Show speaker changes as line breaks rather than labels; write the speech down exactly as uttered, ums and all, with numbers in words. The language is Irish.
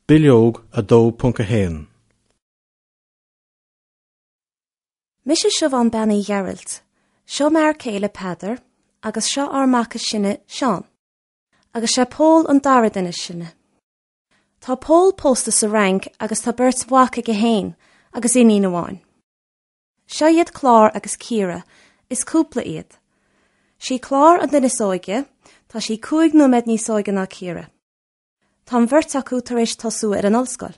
Bileog a dó ponc a haon.
Mise Siobhán Bean Uí Ghearailt, seo m'fhear céile Peadar agus seo ár mac is sine Seán. Agus sé Pól an dara duine is sine. Tá Pól pósta sa Fhrainc agus tá beirt mhac aige féin agus iníon amháin. Seo iad Clár agus Ciara, is cúpla iad. Sí Clár an duine is óige, tá sí cúig nóiméad níos óige ná Ciara. Tá an bheirt acu tar éis tosú ar an ollscoil.